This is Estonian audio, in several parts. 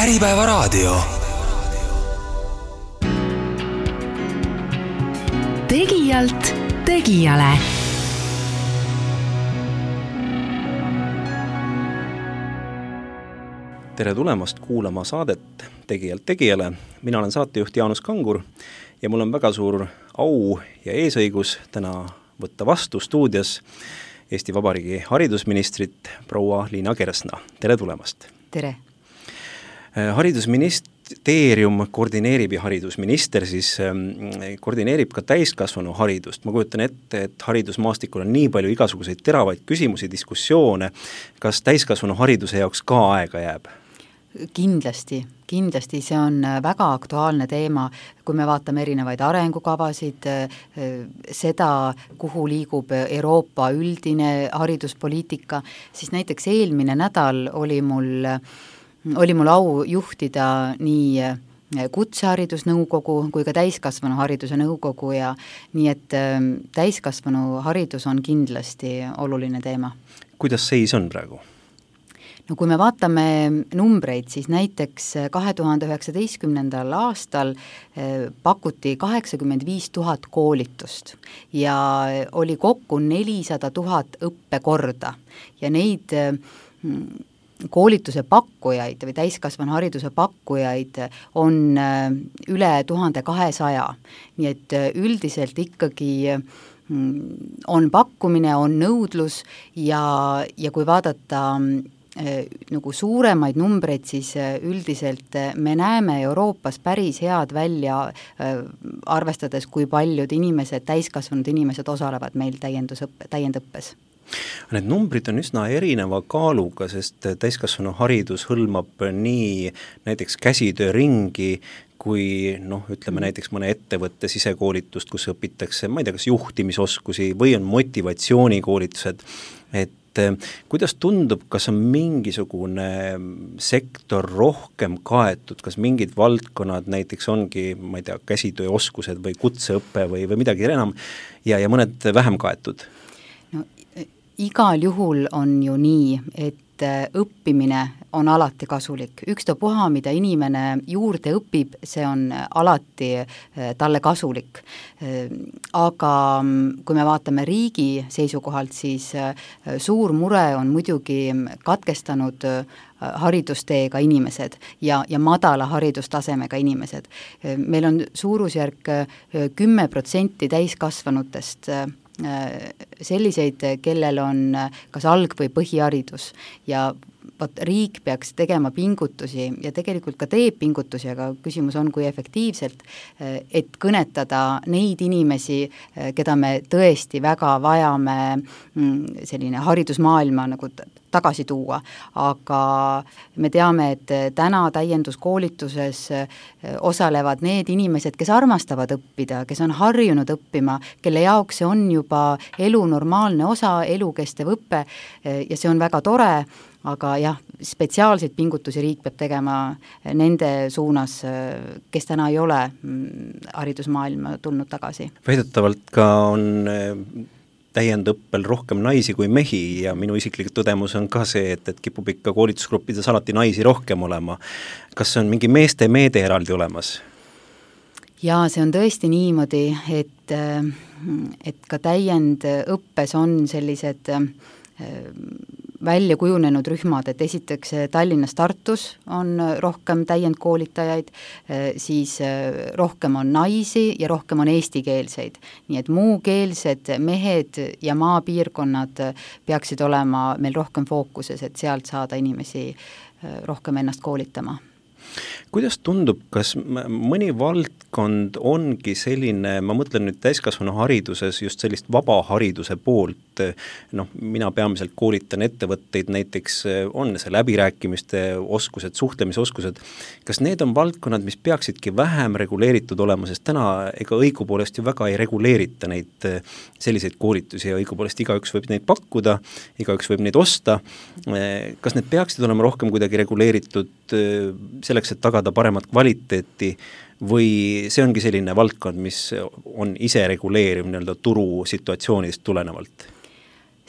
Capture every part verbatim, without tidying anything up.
Äripäevaraadio. Tegijalt tegijale. Tere tulemast kuulama saadet Tegijalt tegijale. Mina olen saatejuht Jaanus Kangur ja mul on väga suur au ja eesõigus täna võtta vastu stuudios Eesti Vabariigi haridusministrit proua Liina Kersna. Tere tulemast! Tere! Haridusministeerium koordineerib ja haridusminister siis koordineerib ka täiskasvanu haridust. Ma kujutan ette, et haridusmaastikul on nii palju igasuguseid teravaid küsimusi, diskussioone. Kas täiskasvanu hariduse jaoks ka aega jääb? Kindlasti, kindlasti see on väga aktuaalne teema, kui me vaatame erinevaid arengukavasid, seda, kuhu liigub Euroopa üldine hariduspoliitika, siis näiteks eelmine nädal oli mul, oli mul au juhtida nii kutseharidusnõukogu kui ka täiskasvanu hariduse nõukogu ja nii, et täiskasvanu haridus on kindlasti oluline teema. Kuidas seis on praegu? No kui me vaatame numbreid, siis näiteks kahe tuhande üheksateistkümnendal aastal pakuti kaheksakümmend viis tuhat koolitust ja oli kokku nelisada tuhat õppekorda ja neid koolituse pakkujaid või täiskasvanu hariduse pakkujaid on üle tuhande kahesaja. Nii et üldiselt ikkagi on pakkumine, on nõudlus ja, ja kui vaadata nagu suuremaid numbreid, siis üldiselt me näeme Euroopas päris head välja, arvestades, kui paljud inimesed, täiskasvanud inimesed osalevad meil täiendusõppe, täiendõppes. Need numbrid on üsna erineva kaaluga, sest täiskasvanu haridus hõlmab nii näiteks käsitööringi, kui noh, ütleme näiteks mõne ettevõtte sisekoolitust, kus õpitakse, ma ei tea, kas juhtimisoskusi või on motivatsioonikoolitused, et kuidas tundub, kas on mingisugune sektor rohkem kaetud, kas mingid valdkonnad näiteks ongi, ma ei tea, käsitööoskused või kutseõppe või, või midagi enam ja, ja mõned vähem kaetud? No, igal juhul on ju nii, et õppimine on alati kasulik. Ükstapuha, mida inimene juurde õpib, see on alati talle kasulik. Aga kui me vaatame riigi seisukohalt, siis suur mure on muidugi katkestanud haridusteega inimesed ja, ja madala haridustasemega inimesed. Meil on suurusjärk kümme protsenti täiskasvanutest selliseid, kellel on kas alg- või põhiharidus ja võt, riik peaks tegema pingutusi ja tegelikult ka teeb pingutusi, aga küsimus on, kui efektiivselt, et kõnetada neid inimesi, keda me tõesti väga vajame selline haridusmaailma nagu tagasi tuua, aga me teame, et täna täienduskoolituses osalevad need inimesed, kes armastavad õppida, kes on harjunud õppima, kelle jaoks see on juba elu normaalne osa, elukestev õppe ja see on väga tore, aga jah, spetsiaalseid pingutusi riik peab tegema nende suunas, kes täna ei ole haridusmaailma tulnud tagasi. Väidetavalt ka on täiendõppel rohkem naisi kui mehi ja minu isiklik tõdemus on ka see, et, et kipub ikka koolitusgruppides alati naisi rohkem olema. Kas on mingi meeste meede eraldi olemas? Jaa, see on tõesti niimoodi, et, et ka täiendõppes on sellised välja kujunenud rühmad, et esiteks Tallinnas Tartus on rohkem täiendkoolitajaid, siis rohkem on naisi ja rohkem on eestikeelseid. Nii et muukeelsed mehed ja maapiirkonnad peaksid olema meil rohkem fookuses, et sealt saada inimesi rohkem ennast koolitama. Kuidas tundub, kas mõni valdkond ongi selline, ma mõtlen nüüd täiskasvanu hariduses just sellist vaba hariduse poolt, noh, mina peamiselt koolitan ettevõtteid, näiteks on see läbirääkimiste oskused, suhtlemisoskused, kas need on valdkonnad, mis peaksidki vähem reguleeritud olema, sest täna ega õigupoolest ju väga ei reguleerita neid selliseid koolitusi ja õigupoolest igaüks võib neid pakkuda, igaüks võib neid osta, kas need peaksid olema rohkem kuidagi reguleeritud selleks, et tagada paremat kvaliteeti või see ongi selline valdkond, mis on ise reguleeriv nii-öelda turu situatsioonidest tulenevalt?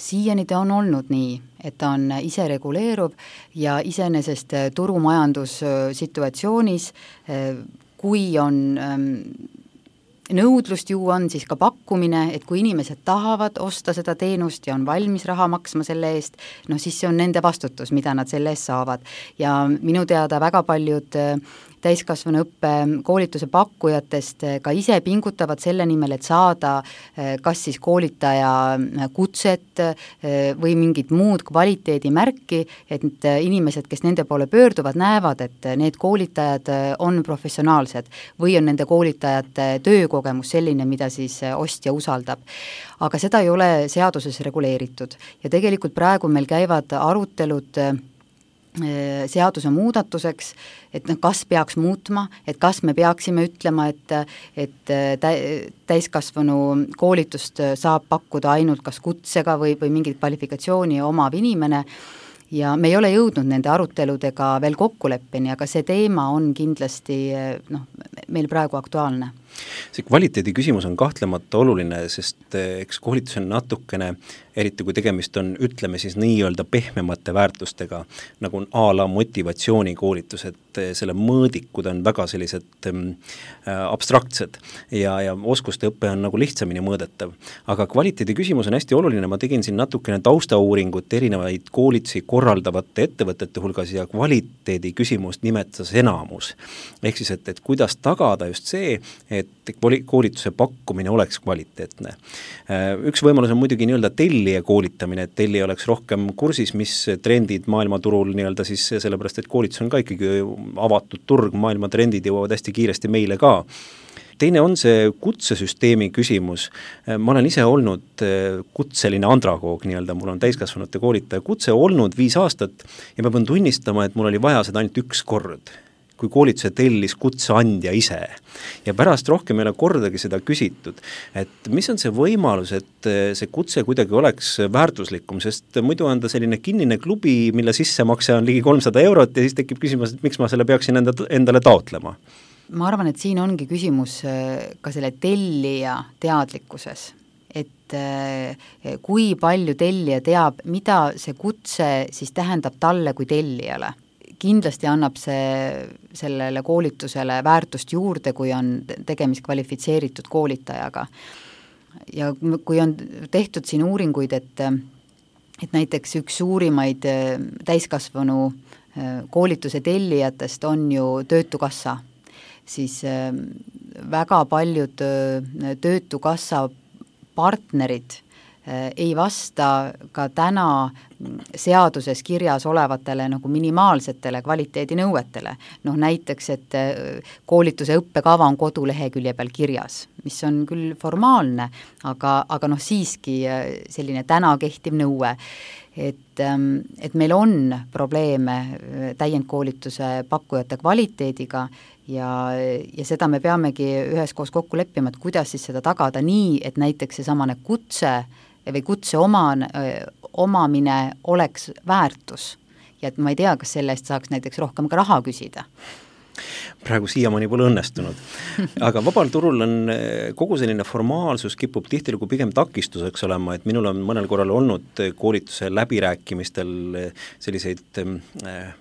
siiani ta on olnud nii, et ta on ise reguleeruv ja iseenesest turumajandussituatsioonis, kui on nõudlust ju on siis ka pakkumine, et kui inimesed tahavad osta seda teenust ja on valmis raha maksma selle eest, noh siis see on nende vastutus, mida nad selle eest saavad. Ja minu teada väga paljud täiskasvanuõppe koolituse pakkujatest ka ise pingutavad selle nimel, et saada kas siis koolitaja kutset või mingit muud kvaliteedimärki, et inimesed, kes nende poole pöörduvad, näevad, et need koolitajad on professionaalsed või on nende koolitajate töökogemus selline, mida siis ostja usaldab. Aga seda ei ole seaduses reguleeritud ja tegelikult praegu meil käivad arutelud seaduse muudatuseks, et noh, kas peaks muutma, et kas me peaksime ütlema, et, et täiskasvanu koolitust saab pakkuda ainult kas kutsega või, või mingit kvalifikatsiooni omav inimene ja me ei ole jõudnud nende aruteludega veel kokkuleppeni, aga see teema on kindlasti noh, meil praegu aktuaalne. See kvaliteedi küsimus on kahtlemata oluline, sest eks koolitus on natukene, eriti kui tegemist on, ütleme siis nii-öelda pehmemate väärtustega, nagu a la motivatsioonikoolitus, et selle mõõdikud on väga sellised äh, abstraktsed ja, ja oskuste õpe on nagu lihtsamini mõõdetav. Aga kvaliteedi küsimus on hästi oluline, ma tegin siin natukene taustauuringut erinevaid koolitusi korraldavate ettevõtete hulgas ja kvaliteedi küsimust nimetas enamus. Ehk siis, et, et kuidas tagada just see, et koolituse pakkumine oleks kvaliteetne. Üks võimalus on muidugi nii-öelda tellija koolitamine, et tellija oleks rohkem kursis, mis trendid maailmaturul nii-öelda siis sellepärast, et koolitus on ka ikkagi avatud turg, maailma trendid jõuavad hästi kiiresti meile ka. Teine on see kutsesüsteemi küsimus. Ma olen ise olnud kutseline andragoog, nii-öelda mul on täiskasvanute koolitaja kutse olnud viis aastat ja ma pean tunnistama, et mul oli vaja seda ainult üks kord, kui koolituse tellis kutseandja ise. Ja pärast rohkem ei ole kordagi seda küsitud, et mis on see võimalus, et see kutse kuidagi oleks väärtuslikum, sest muidu on ta selline kinnine klubi, mille sissemakse on ligi kolmsada eurot ja siis tekib küsimus, et miks ma selle peaksin enda, endale taotlema? Ma arvan, et siin ongi küsimus ka selle tellija teadlikkuses, et kui palju tellija teab, mida see kutse siis tähendab talle kui tellijale. Kindlasti annab see sellele koolitusele väärtust juurde, kui on tegemist kvalifitseeritud koolitajaga. Ja kui on tehtud siin uuringuid, et, et näiteks üks suurimaid täiskasvanu koolituse tellijatest on ju Töötukassa, siis väga paljud Töötukassa partnerid ei vasta ka täna seaduses kirjas olevatele nagu minimaalsetele kvaliteedinõuetele. Noh näiteks, et koolituse õppekava on kodulehekülje peal kirjas, mis on küll formaalne, aga, aga noh siiski selline täna kehtiv nõue, et, et meil on probleeme täiendkoolituse pakkujate kvaliteediga ja, ja seda me peamegi üheskoos kokku leppima, et kuidas siis seda tagada nii, et näiteks see samane kutse või kutse oman, omamine oleks väärtus ja et ma ei tea, kas selle eest saaks näiteks rohkem ka raha küsida. Praegu siiamaani pole õnnestunud. Aga vabal turul on kogu selline formaalsus kipub tihtilugu pigem takistuseks olema, et minul on mõnel korral olnud koolituse läbirääkimistel selliseid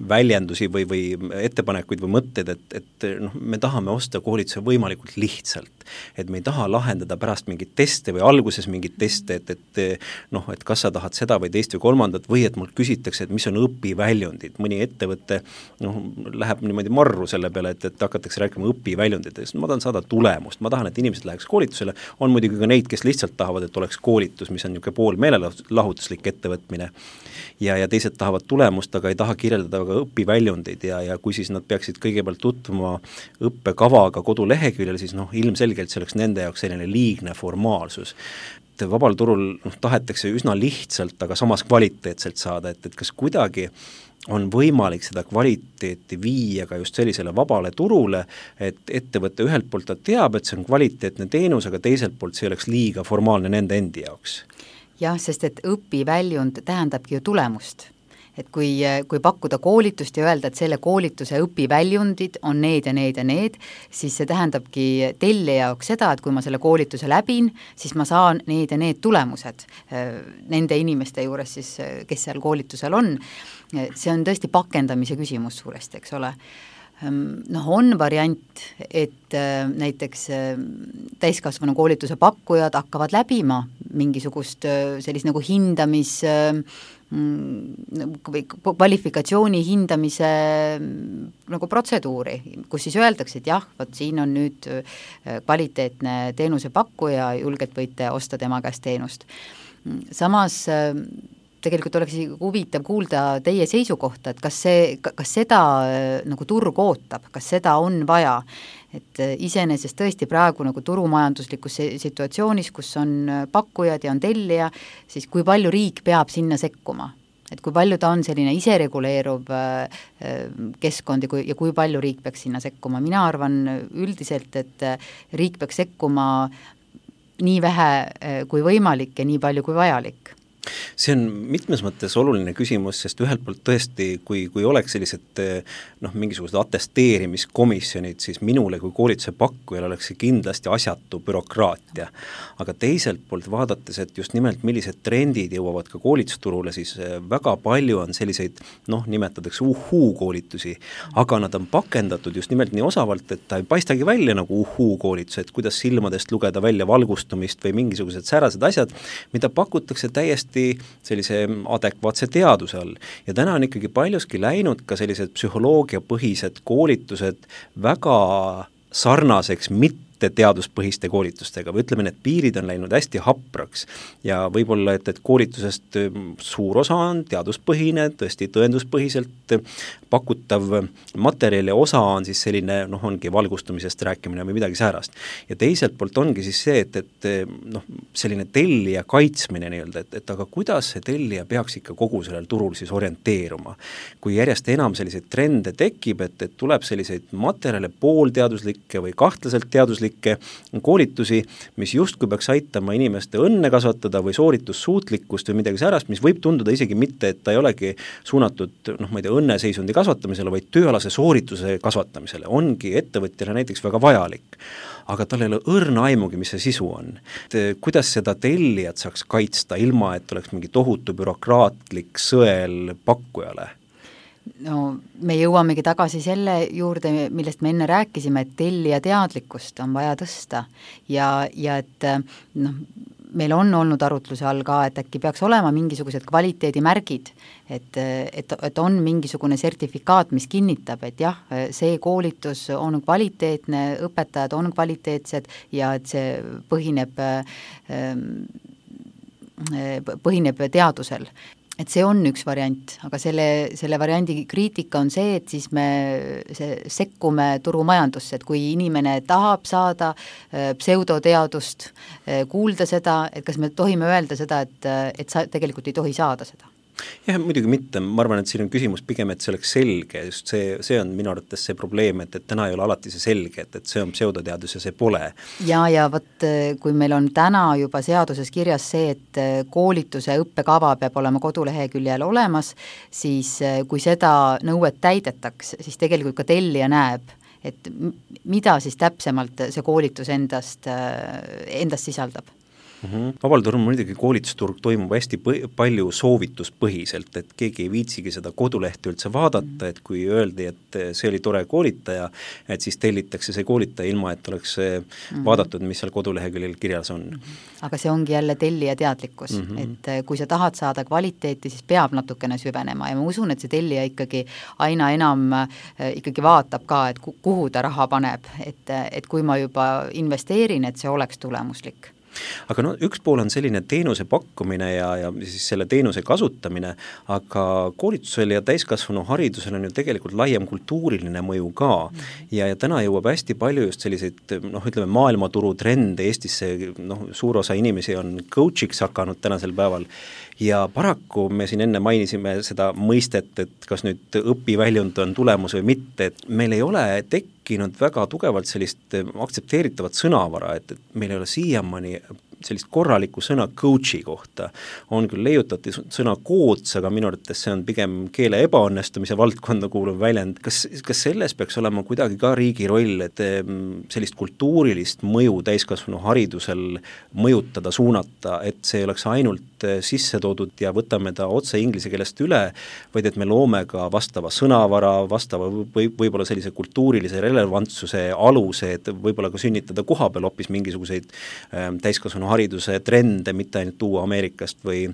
väljendusi või, või ettepanekuid või mõtted, et, et noh, me tahame osta koolituse võimalikult lihtsalt, et me ei taha lahendada pärast mingit teste või alguses mingit teste, et, et noh, et kas sa tahad seda või teist või kolmandat või et mul küsitakse, et mis on õpiväljundid, mõni ettevõte noh, läheb niimoodi marru selle peale, et, et hakatakse rääkima õpiväljunditest. Ma tahan saada tulemust, ma tahan, et inimesed läheks koolitusele. On muidugi ka neid, kes lihtsalt tahavad, et oleks koolitus, mis on niisugune pool meelelahutuslik ettevõtmine. Ja, ja teised tahavad tulemust, aga ei taha kirjeldada ka õpiväljundeid ja, ja kui siis nad peaksid kõigepealt tutvuma õppekavaga koduleheküljel, siis noh, ilmselgelt see oleks nende jaoks selline liigne formaalsus. Vabal turul noh, tahetakse üsna lihtsalt, aga samas kvaliteetselt saada, et, et kas kuidagi on võimalik seda kvaliteeti viia ka just sellisele vabale turule, et ettevõtte ühelt poolt ta teab, et see on kvaliteetne teenus, aga teiselt poolt see oleks liiga formaalne nende endi jaoks. Jah, sest et õpiväljund tähendabki ju tulemust. et kui, kui pakkuda koolitust ja öelda, et selle koolituse õpiväljundid on need ja need ja need, siis see tähendabki tellija jaoks seda, et kui ma selle koolituse läbin, siis ma saan need ja need tulemused nende inimeste juures siis, kes seal koolitusel on. See on tõesti pakendamise küsimus suuresti, eks ole. Noh, on variant, et näiteks täiskasvanu koolituse pakkujad hakkavad läbima mingisugust sellist nagu hindamis, kvalifikatsiooni hindamise nagu protseduuri, kus siis öeldakse, et jah, võt siin on nüüd kvaliteetne teenusepakkuja, julgelt võite osta tema käest teenust. Samas tegelikult oleks huvitav kuulda teie seisukohta, et kas, see, kas seda nagu turg ootab, kas seda on vaja, et iseenesest tõesti praegu nagu turumajanduslikus situatsioonis, kus on pakkujad ja on tellija, siis kui palju riik peab sinna sekkuma, et kui palju ta on selline isereguleeruv keskkond ja kui, ja kui palju riik peaks sinna sekkuma. Mina arvan üldiselt, et riik peaks sekkuma nii vähe kui võimalik ja nii palju kui vajalik. See on mitmes mõttes oluline küsimus, sest ühelt poolt tõesti, kui, kui oleks sellised noh, mingisugused atesteerimiskomisjonid, siis minule kui koolituse pakkujal oleks see kindlasti asjatu bürokraatia. Aga teiselt poolt vaadates, et just nimelt millised trendid jõuavad ka koolitusturule, siis väga palju on selliseid, noh, nimetatakse uhuu koolitusi, aga nad on pakendatud just nimelt nii osavalt, et ta ei paistagi välja nagu uhuu koolitus, et kuidas silmadest lugeda välja valgustumist või mingisugused säärased asjad, mida pakutakse täiesti sellise adekvaatse teaduse all. Ja täna on ikkagi paljuski läinud ka sellised psühholoogiapõhised koolitused väga sarnaseks mitte teaduspõhiste koolitustega või ütleme, et piirid on läinud hästi hapraks ja võib-olla, et, et koolitusest suur osa on teaduspõhine, tõesti tõenduspõhiselt pakutav materjali osa on siis selline, noh, ongi valgustumisest rääkimine või midagi säärast. Ja teiselt poolt ongi siis see, et, et noh, selline tellija kaitsmine nii-öelda, et, et aga kuidas see tellija peaks ikka kogu sellel turul siis orienteeruma. Kui järjest enam selliseid trende tekib, et, et tuleb selliseid materjale poolteaduslikke või kahtlaselt teaduslikke koolitusi, mis justkui peaks aitama inimeste õnne kasvatada või sooritussuutlikkust või midagi säärast, mis võib tunduda isegi mitte, et ta ei olegi suunatud, noh, ma ei tea, õnneseisundi kasvatamisele, vaid tööalase soorituse kasvatamisele, ongi ettevõtjale näiteks väga vajalik. Aga tal ei ole õrna aimugi, mis see sisu on. Et kuidas seda tellijat saaks kaitsta, ilma et oleks mingi tohutu bürokraatlik sõel pakkujale? No me jõuamegi tagasi selle juurde, millest me enne rääkisime, et tellija teadlikkust on vaja tõsta ja, ja et noh, meil on olnud arutluse all ka, et äkki peaks olema mingisugused kvaliteedimärgid, et, et, et on mingisugune sertifikaat, mis kinnitab, et jah, see koolitus on kvaliteetne, õpetajad on kvaliteetsed ja et see põhineb, põhineb teadusel. Et see on üks variant, aga selle, selle variandi kriitika on see, et siis me see, sekkume turumajandusse, et kui inimene tahab saada pseudoteadust, kuulda seda, et kas me tohime öelda seda, et, et sa tegelikult ei tohi saada seda? Jah, muidugi mitte, ma arvan, et siin on küsimus pigem, et see oleks selge, just see, see on minu arvates see probleem, et, et täna ei ole alati see selge, et, et see on pseudoteadus ja see pole. Ja, ja võt, kui meil on täna juba seaduses kirjas see, et koolituse õppekava peab olema koduleheküljel olemas, siis kui seda nõuet täidetaks, siis tegelikult ka tellija näeb, et mida siis täpsemalt see koolitus endast, endast sisaldab. Mm-hmm. Vabal turul muidugi koolitusturg toimub hästi põ- palju soovituspõhiselt, et keegi ei viitsigi seda kodulehti üldse vaadata, et kui öeldi, et see oli tore koolitaja, et siis tellitakse see koolitaja ilma, et oleks mm-hmm. vaadatud, mis seal koduleheküljel kirjas on. Aga see ongi jälle tellija teadlikkus, mm-hmm. et kui sa tahad saada kvaliteeti, siis peab natukene süvenema ja ma usun, et see tellija ikkagi aina enam ikkagi vaatab ka, et kuhu ta raha paneb, et, et kui ma juba investeerin, et see oleks tulemuslik. Aga no üks pool on selline teenuse pakkumine ja, ja siis selle teenuse kasutamine, aga koolitusel ja täiskasvanu haridusel on ju tegelikult laiem kultuuriline mõju ka ja, ja täna jõuab hästi palju just selliseid, noh ütleme maailmaturu trende Eestisse, noh suur osa inimesi on coach'iks hakanud tänasel päeval ja paraku me siin enne mainisime seda mõistet, et kas nüüd õpiväljund on tulemus või mitte, et meil ei ole tekkinud väga tugevalt sellist aktsepteeritavat sõnavara, et, et meil ei ole siiamaani sellist korralikku sõna coach'i kohta. On küll leiutati sõna coach, aga minu arvates see on pigem keele ebaõnnestumise valdkonda kuuluv väljend. Kas, kas selles peaks olema kuidagi ka riigi roll, et sellist kultuurilist mõju täiskasvanu haridusel mõjutada, suunata, et see oleks ainult sisse toodud ja võtame ta otse inglise keelest üle, vaid et me loome ka vastava sõnavara, vastava või, võib-olla sellise kultuurilise relevantsuse aluse, et võib-olla ka sünnitada koha peal hoopis mingisuguseid äh, täiskasvanu hariduse trende, mitte ainult tuua Ameerikast või,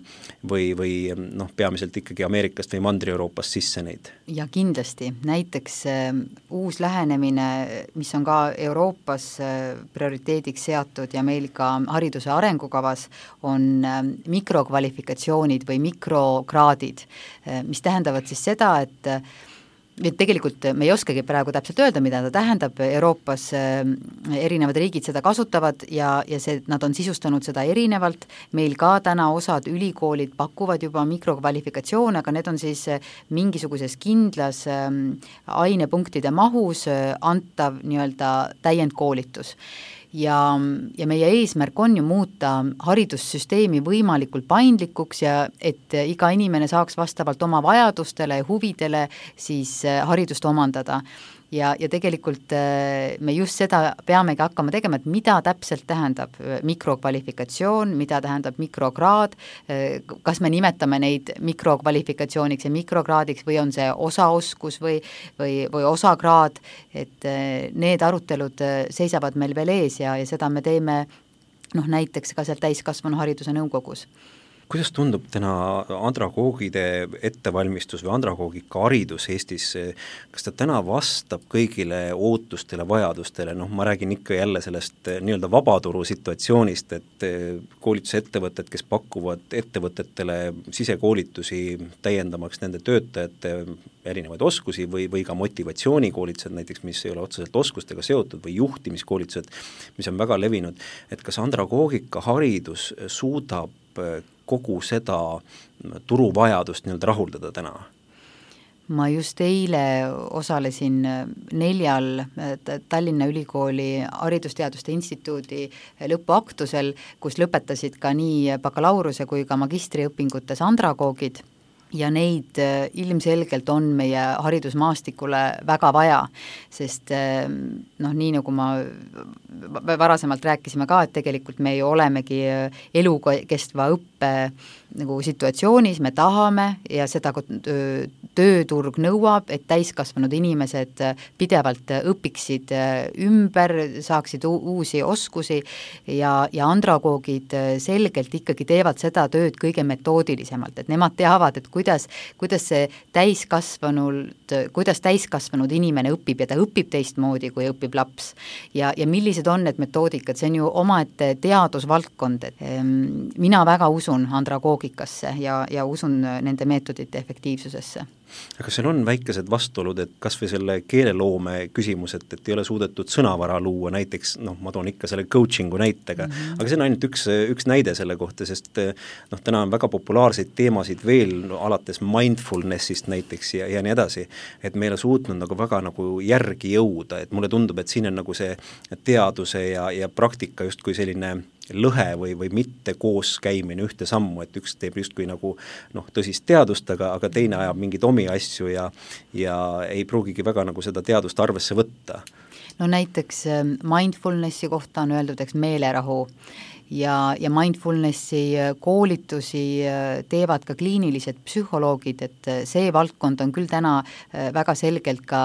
või, või noh, peamiselt ikkagi Ameerikast või Mandri-Euroopast sisse neid. Ja kindlasti, näiteks äh, uus lähenemine, mis on ka Euroopas äh, prioriteediks seatud ja meil ka hariduse arengukavas, on äh, mikrokvalifikatsioonid või mikrokraadid, äh, mis tähendavad siis seda, et et tegelikult me ei oskagi praegu täpselt öelda, mida ta tähendab, Euroopas erinevad riigid seda kasutavad ja, ja see, nad on sisustanud seda erinevalt, meil ka täna osad ülikoolid pakuvad juba mikrokvalifikatsioone, aga need on siis mingisuguses kindlas ainepunktide mahus antav nii-öelda täiendkoolitus. Ja, ja meie eesmärk on ju muuta haridussüsteemi võimalikult paindlikuks ja et iga inimene saaks vastavalt oma vajadustele ja huvidele siis haridust omandada. Ja, ja tegelikult me just seda peamegi hakkama tegema, et mida täpselt tähendab mikrokvalifikatsioon, mida tähendab mikrokraad, kas me nimetame neid mikrokvalifikatsiooniks ja mikrokraadiks või on see osaoskus või, või, või osakraad, et need arutelud seisavad meil veel ees ja, ja seda me teeme noh, näiteks ka seal täiskasvanu hariduse nõukogus. Kuidas tundub täna andragoogide ettevalmistus või andragoogika haridus Eestis, kas ta täna vastab kõigile ootustele, vajadustele, noh ma räägin ikka jälle sellest nii-öelda vabaturu situatsioonist, et koolitusettevõtted, kes pakuvad ettevõtetele sisekoolitusi täiendamaks nende töötajate erinevaid oskusi või, või ka motivatsioonikoolitused näiteks, mis ei ole otseselt oskustega seotud või juhtimiskoolitused, mis on väga levinud, et kas andragoogika haridus suudab kogu seda turuvajadust nii-öelda rahuldada täna? Ma just eile osalesin neljal Tallinna Ülikooli Haridusteaduste Instituudi lõpuaktusel, kus lõpetasid ka nii bakalaureuse kui ka magistriõpingutes andragoogid ja neid ilmselgelt on meie haridusmaastikule väga vaja, sest noh, nii nagu ma varasemalt rääkisime ka, et tegelikult me ju olemegi elukestva õppe nagu situatsioonis, me tahame ja seda tööturg nõuab, et täiskasvanud inimesed pidevalt õpiksid ümber, saaksid uusi oskusi ja, ja andragoogid selgelt ikkagi teevad seda tööd kõige metoodilisemalt, et nemad teavad, et kuidas, kuidas see täiskasvanud, kuidas täiskasvanud inimene õpib ja ta õpib teistmoodi, kui õpib laps. Ja, ja millised on need metoodikad, see on ju omaette teadusvaldkond, et mina väga usun andragoogikasse ja, ja usun nende meetodite efektiivsusesse. Aga seal on väikesed vastuolud, et kas või selle keeleloome küsimus, et, et ei ole suudetud sõnavara luua, näiteks, noh, ma toon ikka selle coachingu näitega, mm -hmm. aga see on ainult üks, üks näide selle kohta, sest noh, täna on väga populaarseid teemasid veel, no, alates mindfulnessist näiteks ja, ja nii edasi, et me ei ole suutnud nagu väga nagu järgi jõuda, et mulle tundub, et siin on nagu see teaduse ja, ja praktika justkui selline lõhe või, või mitte koos käimine ühte sammu, et üks teeb justkui nagu noh, tõsist teadust, aga, aga teine ajab mingeid omi asju ja, ja ei pruugigi väga nagu seda teadust arvesse võtta. No näiteks mindfulnessi kohta on öeldud, eks meelerahu ja, ja mindfulnessi koolitusi teevad ka kliinilised psühholoogid, et see valdkond on küll täna väga selgelt ka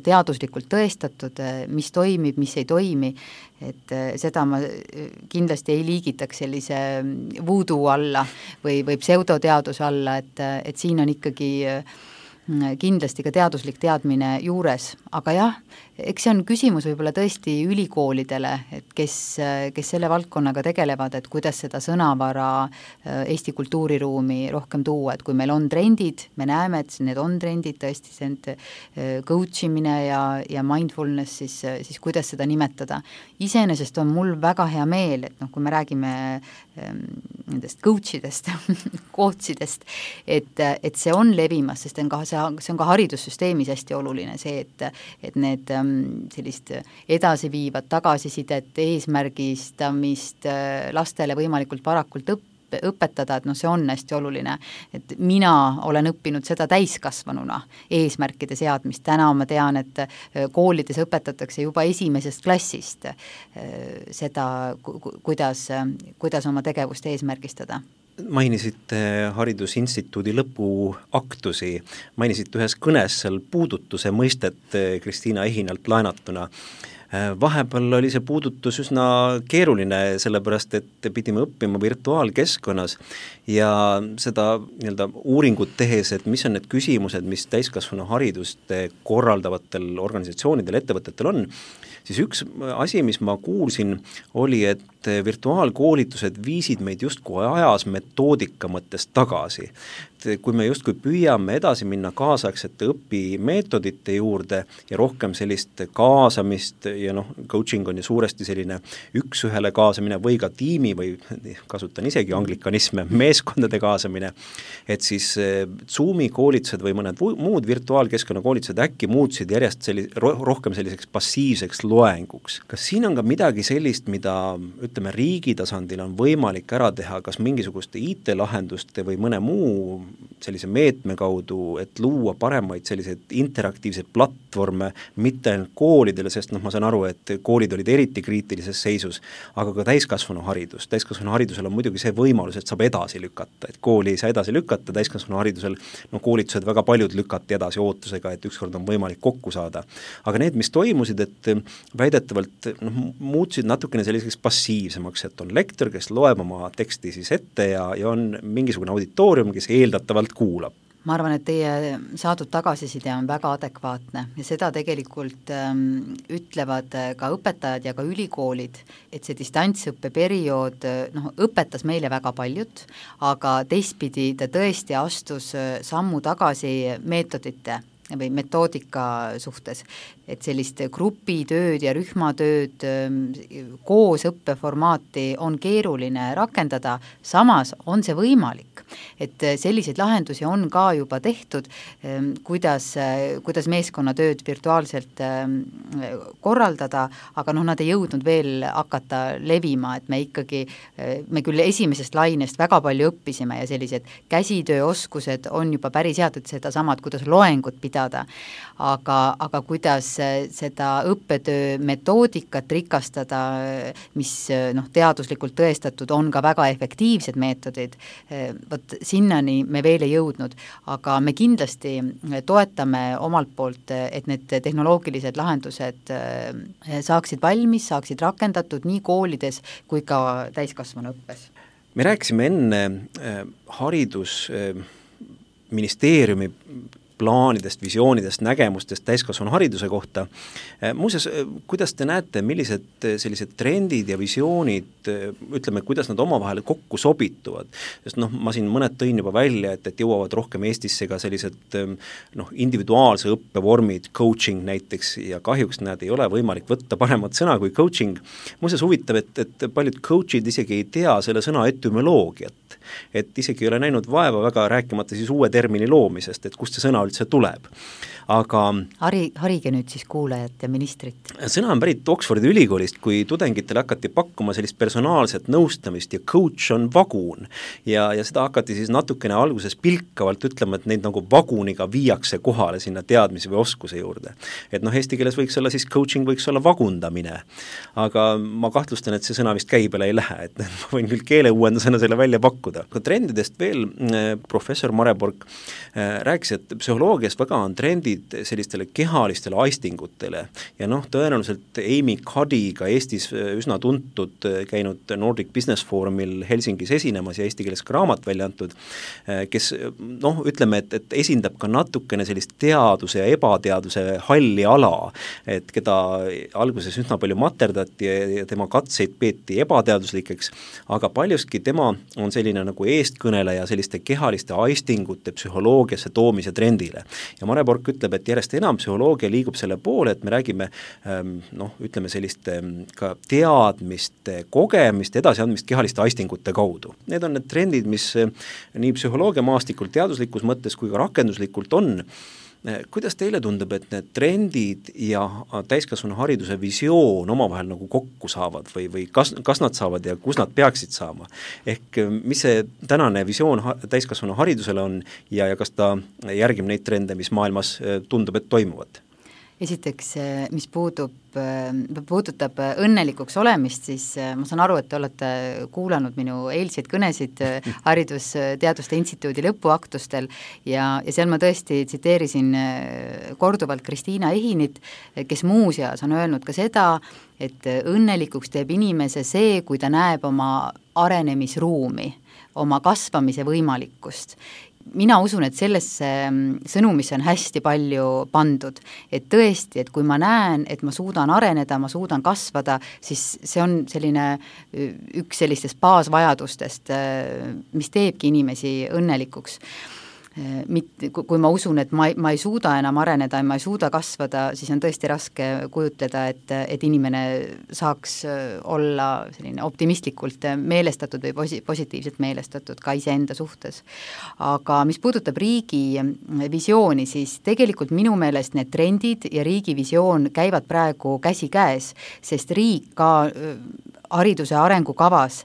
teaduslikult tõestatud, mis toimib, mis ei toimi, et seda ma kindlasti ei liigitaks sellise voodoo alla või, või pseudoteaduse alla, et, et siin on ikkagi kindlasti ka teaduslik teadmine juures, aga jah, eks see on küsimus võib-olla tõesti ülikoolidele, et kes, kes selle valdkonnaga tegelevad, et kuidas seda sõnavara Eesti kultuuriruumi rohkem tuua, et kui meil on trendid, me näeme, et need on trendid tõesti, see coach imine ja, ja mindfulness, siis, siis kuidas seda nimetada. Iseenesest on mul väga hea meel, et noh, kui me räägime nendest coachidest, coachidest, et, et see on levimas, sest on ka, see, see on ka haridussüsteemis hästi oluline, see, et, et need sellist edasiviivat tagasisidet, eesmärgistamist lastele võimalikult varakult õppida, õpetada, et noh, see on hästi oluline, et mina olen õppinud seda täiskasvanuna, eesmärkide seadmist, täna ma tean, et koolides õpetatakse juba esimesest klassist seda, kuidas, kuidas oma tegevust eesmärgistada. Mainisite Haridusinstituudi lõpuaktusi, mainisite ühes kõnes seal puudutuse mõistet Kristiina Ehinalt laenatuna. Vahepeal oli see puudutus üsna keeruline, sellepärast et pidime õppima virtuaalkeskkonnas ja seda nii-öelda uuringut tehes, et mis on need küsimused, mis täiskasvanu haridust korraldavatel organisatsioonidel, ettevõtetel on, siis üks asi, mis ma kuulsin, oli, et virtuaalkoolitused viisid meid justkui ajas metoodika mõttes tagasi. Kui me justkui püüame edasi minna kaasaegsete õpimeetodite juurde ja rohkem sellist kaasamist ja noh, coaching on ju suuresti selline üks-ühele kaasamine või ka tiimi või kasutan isegi anglikanisme, meeskondade kaasamine, et siis Zoomi koolitused või mõned muud virtuaalkeskkonna koolitused äkki muutusid järjest sellis, rohkem selliseks passiivseks loenguks. Kas siin on ka midagi sellist, mida ütleme riigi tasandil on võimalik ära teha, kas mingisuguste I T-lahenduste või mõne muu sellise meetme kaudu, et luua paremaid selliseid interaktiivseid platvorme mitte ainult koolidele, sest noh, ma saan aru, et koolid olid eriti kriitilises seisus, aga ka täiskasvanu haridus. Täiskasvanu haridusel on muidugi see võimalus, et saab edasi lükata, et kooli ei saa edasi lükata, täiskasvanu haridusel no koolitused väga paljud lükati edasi ootusega, et ükskord on võimalik kokku saada. Aga need, mis toimusid, et väidetavalt noh, muutusid natukene selliseks passiivsemaks, et on lektor, kes loeb oma teksti siis ette ja, ja on mingisugune auditoorium, kes eeldatavalt kuulab. Ma arvan, et teie saadud tagasiside on väga adekvaatne ja seda tegelikult ähm, ütlevad ka õpetajad ja ka ülikoolid, et see distantsõppeperiood noh, õpetas meile väga paljut, aga teistpidi ta tõesti astus sammu tagasi meetodite või metoodika suhtes, et sellist grupitööd ja rühmatööd koos õppeformaati on keeruline rakendada, samas on see võimalik. Et selliseid lahendusi on ka juba tehtud, kuidas, kuidas meeskonnatööd virtuaalselt korraldada, aga noh, nad ei jõudnud veel hakata levima, et me ikkagi, me küll esimesest lainest väga palju õppisime ja sellised käsitööoskused on juba päris head, et seda samad, kuidas loengut pidada, aga, aga kuidas seda õppetöö metoodikat rikastada, mis noh, teaduslikult tõestatud on ka väga efektiivsed meetodid, vot sinnani me veel ei jõudnud, aga me kindlasti toetame omalt poolt, et need tehnoloogilised lahendused saaksid valmis, saaksid rakendatud nii koolides kui ka täiskasvanuõppes. Me rääkisime enne haridusministeeriumi plaanidest, visioonidest, nägemustest täiskasvanu hariduse kohta. Muuseas, kuidas te näete, millised sellised trendid ja visioonid, ütleme, kuidas nad omavahel kokku sobituvad? Sest noh, ma siin mõned tõin juba välja, et, et jõuavad rohkem Eestisse ka sellised noh, individuaalse õppevormid, coaching näiteks, ja kahjuks nad ei ole võimalik võtta paremat sõna kui coaching. Muuseas huvitav, et, et paljud coachid isegi ei tea selle sõna etümoloogiat, et isegi ei ole näinud vaeva väga rääkimata siis uue termini loomisest, et kust see sõna üldse tuleb. Aga Hari, harige nüüd siis kuulajat ja ministrit. Sõna on pärit Oxfordi ülikoolist, kui tudengitele hakati pakkuma sellist personaalset nõustamist ja coach on vagun. Ja, ja seda hakati siis natukene alguses pilkavalt ütlema, et neid nagu vaguniga viiakse kohale sinna teadmise või oskuse juurde. Et noh, eesti keeles võiks olla siis coaching, võiks olla vagundamine. Aga ma kahtlustan, et see sõna vist käibele ei lähe, et ma võin küll keeleuuendusena selle välja pakkuda. Ka trendidest veel professor Mareborg rääkis, et psühholoogias väga on trendid sellistele kehalistele aistingutele ja noh, tõenäoliselt Amy Cuddy ka Eestis üsna tuntud, käinud Nordic Business Forumil Helsingis esinemas ja eesti keeles ka raamat välja antud, kes noh, ütleme, et, et esindab ka natukene sellist teaduse ja ebateaduse halli ala, et keda alguses üsna palju materdati ja tema katseid peeti ebateaduslikeks, aga paljuski tema on selline selline nagu eestkõneleja selliste kehaliste aistingute psühholoogiasse toomise trendile. Ja Mare Bork ütleb, et järjest enam psühholoogia liigub selle poole, et me räägime noh, ütleme selliste ka teadmiste, kogemist, edasiandmist kehaliste aistingute kaudu. Need on need trendid, mis nii psühholoogia maastikult teaduslikus mõttes kui ka rakenduslikult on. Kuidas teile tundub, et need trendid ja täiskasvanu hariduse visioon omavahel nagu kokku saavad või, või kas, kas nad saavad ja kus nad peaksid saama? Ehk mis see tänane visioon täiskasvanu haridusele on ja, ja kas ta järgib neid trende, mis maailmas tundub, et toimuvad? Esiteks, mis puudub, puudutab õnnelikuks olemist, siis ma saan aru, et te olete kuulanud minu eilseid kõnesid Haridusteaduste Instituudi lõpuaktustel ja, ja seal ma tõesti tsiteerisin korduvalt Kristiina Ehinit, kes muuseas on öelnud ka seda, et õnnelikuks teeb inimese see, kui ta näeb oma arenemisruumi, oma kasvamise võimalikkust. Mina usun, et sellesse sõnumisse on hästi palju pandud, et tõesti, et kui ma näen, et ma suudan areneda, ma suudan kasvada, siis see on selline üks sellistest baasvajadustest, mis teebki inimesi õnnelikuks. Mitte, kui ma usun, et ma ei, ma ei suuda enam areneda ja ma ei suuda kasvada, siis on tõesti raske kujutleda, et, et inimene saaks olla selline optimistlikult meelestatud või posi-, positiivselt meelestatud ka iseenda suhtes. Aga mis puudutab riigi visiooni, siis tegelikult minu meelest need trendid ja riigi visioon käivad praegu käsi käes, sest riik ka hariduse arengukavas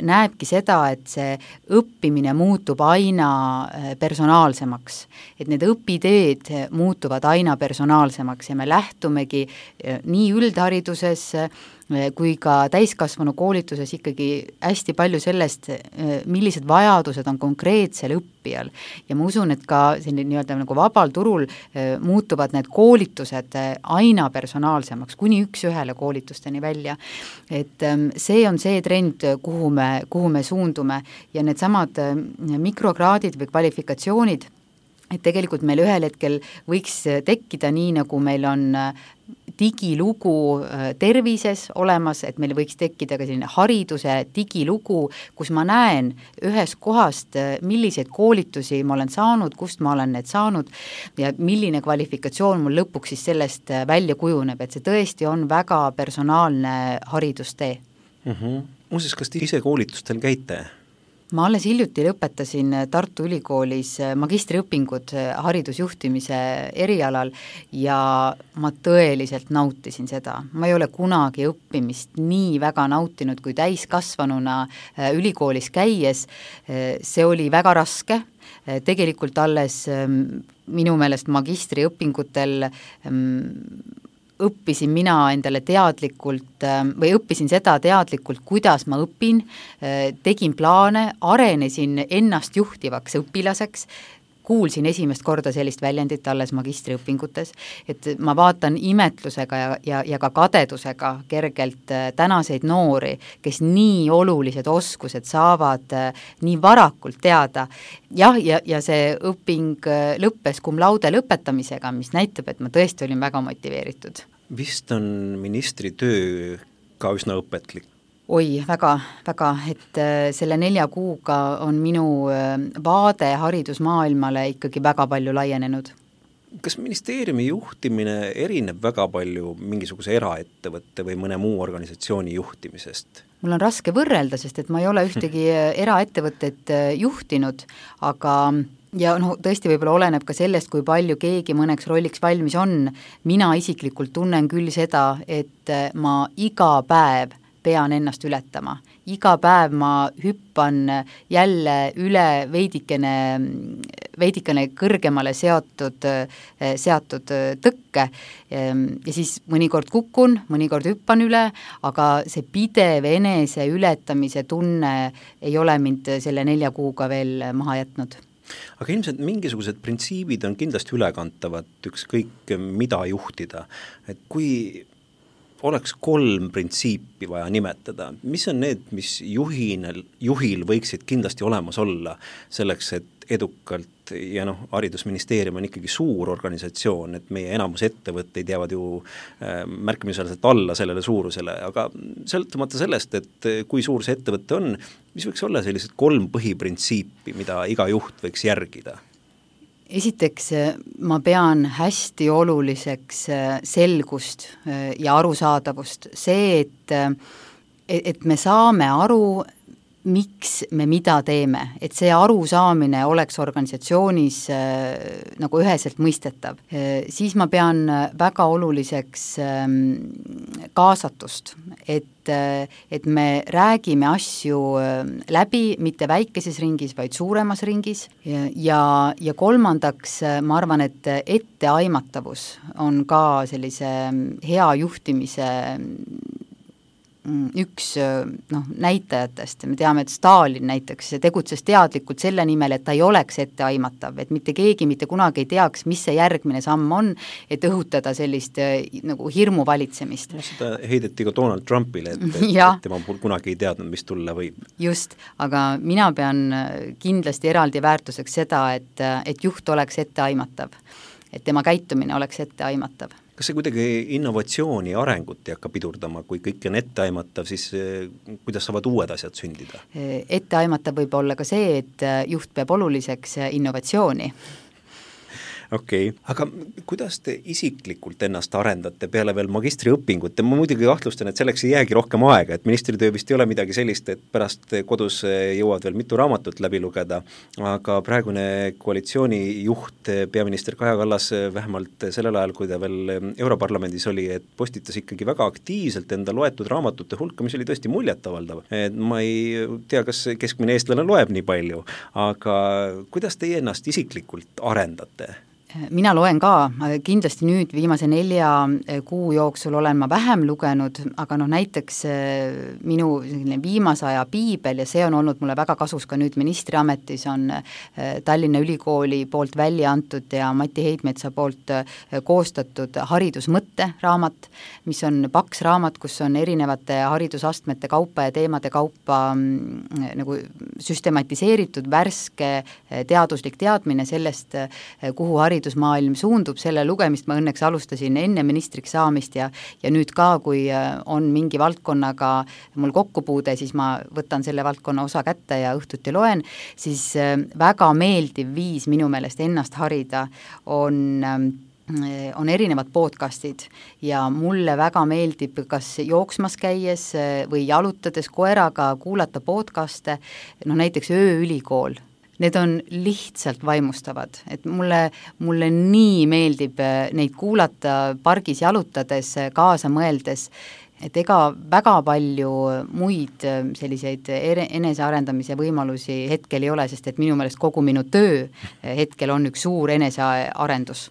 näebki seda, et see õppimine muutub aina personaalsemaks, et need õpiteed muutuvad aina personaalsemaks ja me lähtumegi nii üldhariduses kui ka täiskasvanu koolituses ikkagi hästi palju sellest, millised vajadused on konkreetsel õppijal. Ja ma usun, et ka selline nii-öelda nagu vabal turul muutuvad need koolitused aina personaalsemaks, kuni üks ühele koolitusteni välja. Et see on see trend, kuhu me, kuhu me suundume ja need samad mikrokraadid või kvalifikatsioonid, et tegelikult meil ühel hetkel võiks tekkida nii, nagu meil on digilugu tervises olemas, et meil võiks tekkida ka selline hariduse digilugu, kus ma näen ühest kohast, milliseid koolitusi ma olen saanud, kust ma olen need saanud ja milline kvalifikatsioon mul lõpuks siis sellest välja kujuneb, et see tõesti on väga personaalne haridustee. Mm-hmm. Muuseas, kas te ise koolitustel käite? Ma alles hiljuti lõpetasin Tartu Ülikoolis magistriõpingud haridusjuhtimise erialal ja ma tõeliselt nautisin seda. Ma ei ole kunagi õppimist nii väga nautinud kui täiskasvanuna ülikoolis käies. See oli väga raske. Tegelikult alles minu meelest magistriõpingutel õppisin mina endale teadlikult või õppisin seda teadlikult, kuidas ma õpin, tegin plaane, arenesin ennast juhtivaks õpilaseks, kuulsin esimest korda sellist väljendit alles magistriõpingutes, et ma vaatan imetlusega ja, ja, ja ka kadedusega kergelt tänaseid noori, kes nii olulised oskused saavad nii varakult teada. Jah, ja, ja see õping lõppes cum laude lõpetamisega, mis näitab, et ma tõesti olin väga motiveeritud. Vist on ministri töö ka üsna õpetlik? Oi, väga, väga, et selle nelja kuuga on minu vaade haridusmaailmale ikkagi väga palju laienenud. Kas ministeeriumi juhtimine erineb väga palju mingisuguse eraettevõtte või mõne muu organisatsiooni juhtimisest? Mul on raske võrrelda, sest et ma ei ole ühtegi eraettevõtet juhtinud, aga ja no, tõesti võib-olla oleneb ka sellest, kui palju keegi mõneks rolliks valmis on. Mina isiklikult tunnen küll seda, et ma iga päev pean ennast ületama. Iga päev ma hüppan jälle üle veidikene, veidikene kõrgemale seatud, seatud tõkke ja siis mõnikord kukun, mõnikord hüppan üle, aga see pidev enese ületamise tunne ei ole mind selle nelja kuuga veel maha jätnud. Aga ilmselt mingisugused printsiibid on kindlasti ülekantavad ükskõik mida juhtida, et kui oleks kolm printsiipi vaja nimetada, mis on need, mis juhinel, juhil võiksid kindlasti olemas olla selleks, et edukalt ja noh, haridusministeerium on ikkagi suur organisatsioon, et meie enamus ettevõtteid jäävad ju äh, märkimisväärselt alla sellele suurusele, aga sõltumata sellest, et kui suur see ettevõte on, mis võiks olla sellised kolm põhiprintsiipi, mida iga juht võiks järgida? Esiteks ma pean hästi oluliseks selgust ja arusaadavust. See, et, et me saame aru, miks me mida teeme, et see arusaamine oleks organisatsioonis äh, nagu üheselt mõistetav. Äh, siis ma pean väga oluliseks äh, kaasatust, et, äh, et me räägime asju äh, läbi, mitte väikeses ringis, vaid suuremas ringis ja, ja, ja kolmandaks äh, ma arvan, et etteaimatavus on ka sellise hea juhtimise üks noh, näitajatest. Me teame, et Stalin näiteks tegutses teadlikult selle nimel, et ta ei oleks etteaimatav, et mitte keegi mitte kunagi ei teaks, mis see järgmine samm on, et õhutada sellist nagu hirmu valitsemist. No, seda heideti ka Donald Trumpile, et, et, et tema kunagi ei teadnud, mis tulla võib. Just, aga mina pean kindlasti eraldi väärtuseks seda, et, et juht oleks etteaimatav, et tema käitumine oleks etteaimatav. Kas see kuidagi innovatsiooni ja arengut ei hakka pidurdama, kui kõik on etteaimatav, siis kuidas saavad uued asjad sündida? Etteaimatav võib olla ka see, et juht peab oluliseks innovatsiooni. Okei, okay. Aga kuidas te isiklikult ennast arendate peale veel magistriõpingut? Ma muidugi kahtlustan, et selleks ei jäägi rohkem aega, et ministritöö vist ei ole midagi sellist, et pärast kodus jõuad veel mitu raamatut läbi lugeda, aga praegune koalitsiooni juht, peaminister Kaja Kallas, vähemalt sellel ajal, kui ta veel Europarlamendis oli, et postitas ikkagi väga aktiivselt enda loetud raamatute hulka, mis oli tõesti muljetavaldav. Et ma ei tea, kas keskmine eestlane loeb nii palju, aga kuidas teie ennast isiklikult arendate? Mina loen ka, kindlasti nüüd viimase nelja kuu jooksul olen ma vähem lugenud, aga noh, näiteks minu viimase aja piibel ja see on olnud mulle väga kasus ka nüüd ministriametis, on Tallinna Ülikooli poolt välja antud ja Mati Heidmetsa poolt koostatud haridusmõtte raamat, mis on paks raamat, kus on erinevate haridusastmete kaupa ja teemade kaupa nagu süstematiseeritud värske teaduslik teadmine sellest, kuhu haridus haridusmaailm suundub, selle lugemist ma õnneks alustasin enne ministriks saamist ja, ja nüüd ka, kui on mingi valdkonnaga mul kokkupuude, siis ma võtan selle valdkonna osa kätte ja õhtuti loen, siis väga meeldiv viis minu meelest ennast harida on on erinevad podcastid ja mulle väga meeldib kas jooksmas käies või jalutades koeraga kuulata podcaste, noh näiteks Ööülikool. Need on lihtsalt vaimustavad, et mulle, mulle nii meeldib neid kuulata pargis jalutades, kaasa mõeldes, et ega väga palju muid selliseid enesearendamise võimalusi hetkel ei ole, sest et minu meelest kogu minu töö hetkel on üks suur enesearendus.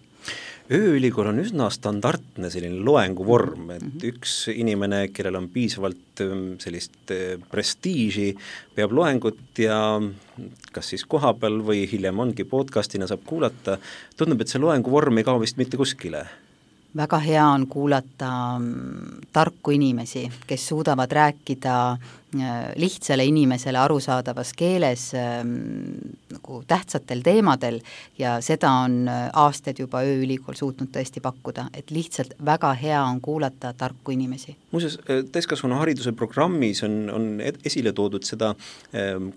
Ööülikool on üsna standardne selline loenguvorm, et üks inimene, kellel on piisavalt sellist prestiiži, peab loengut ja kas siis kohapeal või hiljem ongi podcastina saab kuulata, tundub, et see loenguvorm ei kao vist mitte kuskile. Väga hea on kuulata tarku inimesi, kes suudavad rääkida lihtsale inimesele arusaadavas keeles nagu tähtsatel teemadel ja seda on aastaid juba Ööülikool suutnud tõesti pakkuda, et lihtsalt väga hea on kuulata tarku inimesi. Muuseas, täiskasvanu hariduse programmis on, on esile toodud seda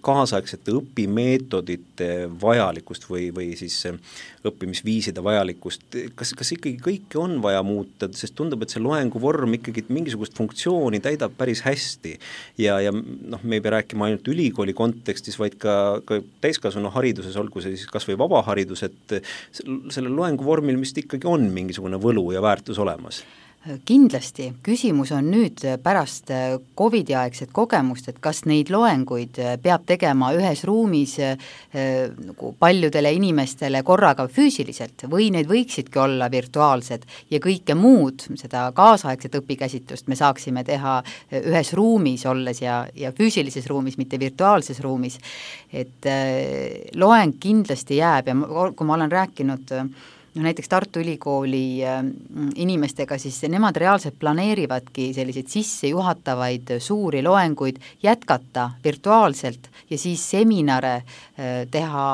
kaasaegsete õpimeetodite vajalikust või, või siis õppimisviiside vajalikust. Kas, kas ikkagi kõike on vaja muuta, sest tundub, et see loenguvorm ikkagi mingisugust funktsiooni täidab päris hästi ja ja noh, me ei pea rääkima ainult ülikooli kontekstis, vaid ka, ka täiskasvanu hariduses, olgu see siis kas või vabaharidus, et sellel loenguvormil vist ikkagi on mingisugune võlu ja väärtus olemas. Kindlasti, küsimus on nüüd pärast Covidi aegset kogemust, et kas neid loenguid peab tegema ühes ruumis nagu paljudele inimestele korraga füüsiliselt või need võiksidki olla virtuaalsed ja kõike muud, seda kaasaegset õpikäsitlust me saaksime teha ühes ruumis olles ja, ja füüsilises ruumis, mitte virtuaalses ruumis. Et loeng kindlasti jääb ja kui ma olen rääkinud no näiteks Tartu Ülikooli inimestega, siis nemad reaalselt planeerivadki selliseid sissejuhatavaid suuri loenguid jätkata virtuaalselt ja siis seminare teha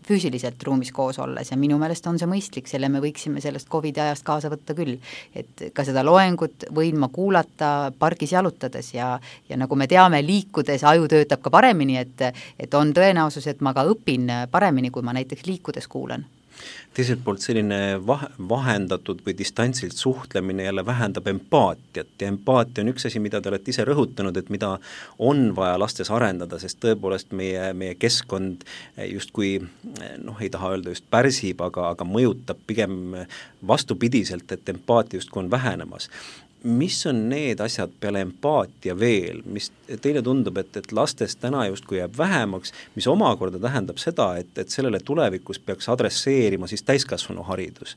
füüsiliselt ruumis koos olles ja minu meelest on see mõistlik, selle me võiksime sellest Covidi ajast kaasa võtta küll. Et ka seda loengut võin ma kuulata pargis jalutades ja, ja nagu me teame, liikudes aju töötab ka paremini, et, et on tõenäosus, et ma ka õpin paremini, kui ma näiteks liikudes kuulan. Teiselt poolt selline vah- vahendatud või distantsilt suhtlemine jälle vähendab empaatiat ja empaatia on üks asi, mida te olete ise rõhutanud, et mida on vaja lastes arendada, sest tõepoolest meie, meie keskkond justkui, noh, ei taha öelda just pärsib, aga, aga mõjutab pigem vastupidiselt, et empaatia justkui on vähenemas. Mis on need asjad peale empaatia veel, mis teile tundub, et, et lastes täna justkui jääb vähemaks, mis omakorda tähendab seda, et, et sellele tulevikus peaks adresseerima siis täiskasvanu haridus.